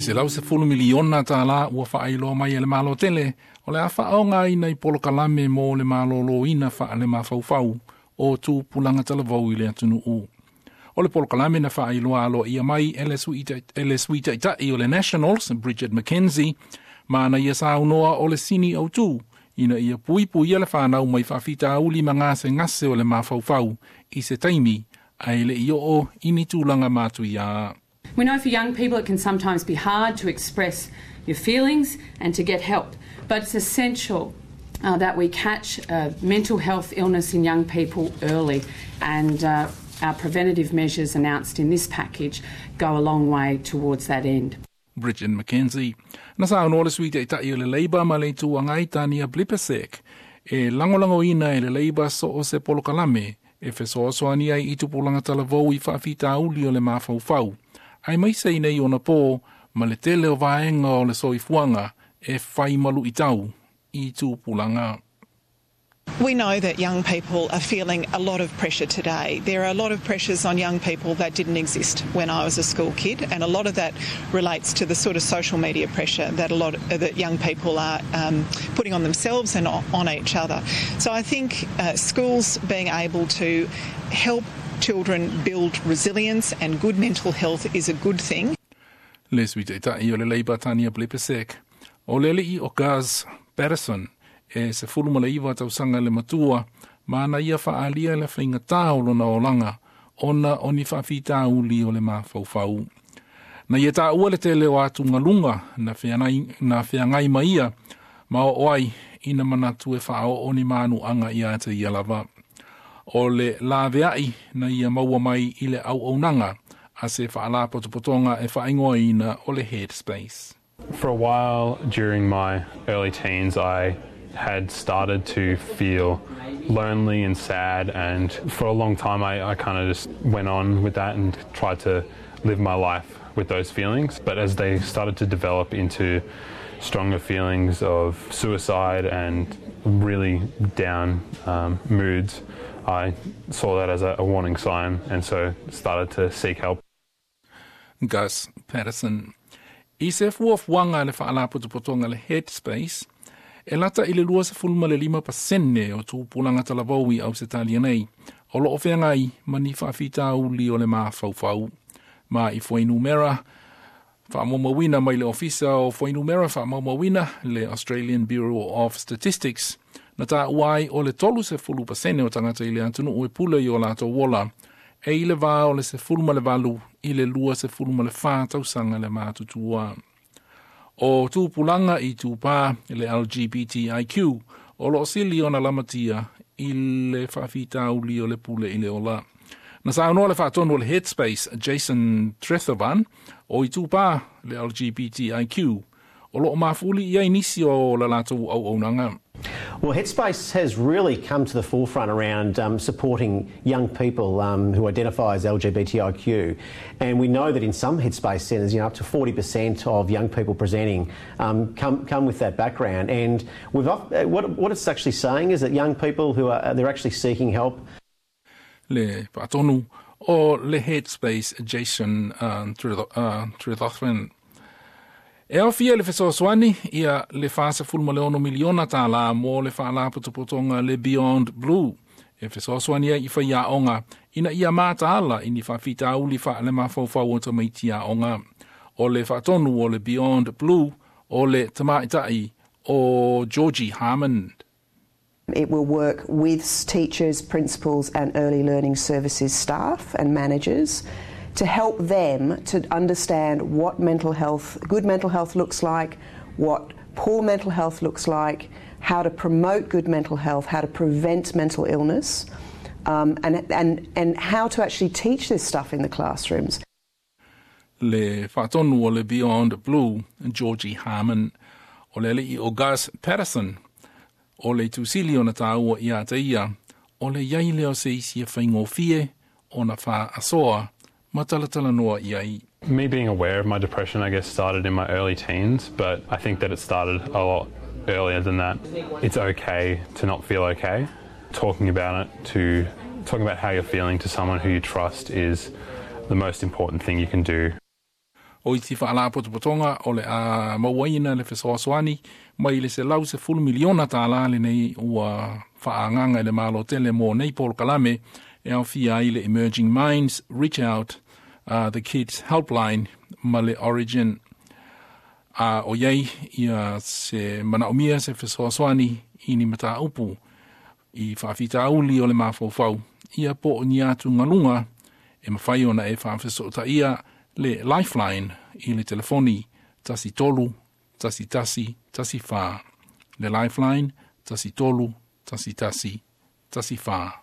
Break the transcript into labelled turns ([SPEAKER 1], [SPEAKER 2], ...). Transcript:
[SPEAKER 1] $110 miliona ua faailoa mai e le Malo tele o le a faaaogaina i polokalame mo le malōlōina faale-mafaufau o tupulaga talavou i le atunuu. O le polokalame na faailoa aloaia mai e le Sui Taitai o le Nationals, Bridget McKenzie, ma na ia saunoa o le sini autū ina ia puipuia le fanau mai faafitauli ma gasegase o le mafaufau i se taimi ae le'i oo i ni tulaga matuiā.
[SPEAKER 2] We know for young people it can sometimes be hard to express your feelings and to get help, but it's essential that we catch mental health illness in young people early, and our preventative measures announced in this package go a long way towards that end.
[SPEAKER 1] Bridget McKenzie. Na saunoa le Sui Taitai o le Labour ma le Itu Agai Tania Plibersek e lagolagoina e le Labour so o se polokalame e fesoasoani ai i tupulaga talavou i faafitauli o le mafaufau aemaise i nei onapō ma le tele o vaega o le soifuaga e fai ma luʻitau i tupulaga.
[SPEAKER 3] We know that young people are feeling a lot of pressure today. There are a lot of pressures on young people that didn't exist when I was a school kid, and a lot of that relates to the sort of social media pressure that a lot of, that young people are putting on themselves and on each other. So I think schools being able to help children build resilience and good mental health is a good thing.
[SPEAKER 1] Le Sui Taitai o le Labour Tania Plibersek. O le alii o Gus Patterson e 19 tausaga le matua ma na ia faaalia le faigatā o lona olaga ona o ni faafitauli o le mafaufau. Na ia taua le tele o atugaluga na feagai ma ia ma oo ai ina manatu e faaoo ni manuaga ia te ia lava. O le laveai na ia maua mai i le auaunaga a se faalapotopotoga e faaigoaina o le Headspace.
[SPEAKER 4] For a while during my early teens, I had started to feel lonely and sad, and for a long time, I kind of just went on with that and tried to live my life with those feelings. But as they started to develop into stronger feelings of suicide and really down moods, I saw that as a warning sign and so started to seek help.
[SPEAKER 1] Gus Patterson. I se fuafuaga a le faalapotopotoga le Headspace, e lata i le 25% o tupulaga talavou i Ausetalia nei o loo feagai ma ni faafitauli o le mafaufau. Ma i fuainumera faamaumauina mai le Ofisa o Fuainumera Faamaumauina, le Australian Bureau of Statistics, na taua ai o le 30% o tagata i le atunuu e pule i o latou ola e i le va o le 18 i le 24 tausaga le matutua. O tupulaga i tupā le LGBTIQ o loo sili ona lamatia i le faafitauli o le pule i le ola. Na saunoa le faatonu o le Headspace Jason Trethovan o i tupā le LGBTIQ o loo mafuli i ai nisi o la latou auaunaga.
[SPEAKER 5] Well, Headspace has really come to the forefront around supporting young people who identify as LGBTIQ. And we know that in some Headspace centres, up to 40% of young people presenting come with that background. And what it's actually saying is that young people who are they're actually seeking help.
[SPEAKER 1] Le faatonu o le Headspace Jason Trethovan. E aofia le fesoasoani ia le $46 miliona mo le faalapotopotoga le Beyond Blue e fesoasoani ai i faiaoga ina ia mataala i ni faafitauli faale-mafaufau o tamaiti aoga. O le faatonu o le Beyond Blue o le tamaitai o Georgie Harmon.
[SPEAKER 6] It will work with teachers, principals, and early learning services staff and managers to help them to understand what mental health, good mental health looks like, what poor mental health looks like, how to promote good mental health, how to prevent mental illness, and how to actually teach this stuff in the classrooms.
[SPEAKER 1] Le faatonu o le Beyond Blue, Georgie Harmon. O le alii o Gus Patterson, o le tusili o na tāua ia te ia, o le iai lea o se isi e faigofie o na wha asoa ma talatalanoa i ai.
[SPEAKER 4] Me being aware of my depression, I guess, started in my early teens, but I think that it started a lot earlier than that. It's okay to not feel okay. Talking about how you're feeling to someone who you trust is the most important thing you can do.
[SPEAKER 1] O isi faalapotopotoga o le a mauaina le fesoasoani mai le $110 miliona lenei ua faaagaaga e le Malo tele mo nei polokalame e aofia ai le Emerging Minds, Reach Out, the Kids Helpline ma le Origin. A o iai ia se manaomia se fesoasoani i ni mataupu i faafitauli o le mafaufau ia po o ni atugaluga, e mafai ona e faafesootaia le Lifeline i le telefoni 13 11 14, le Lifeline 13 11 14.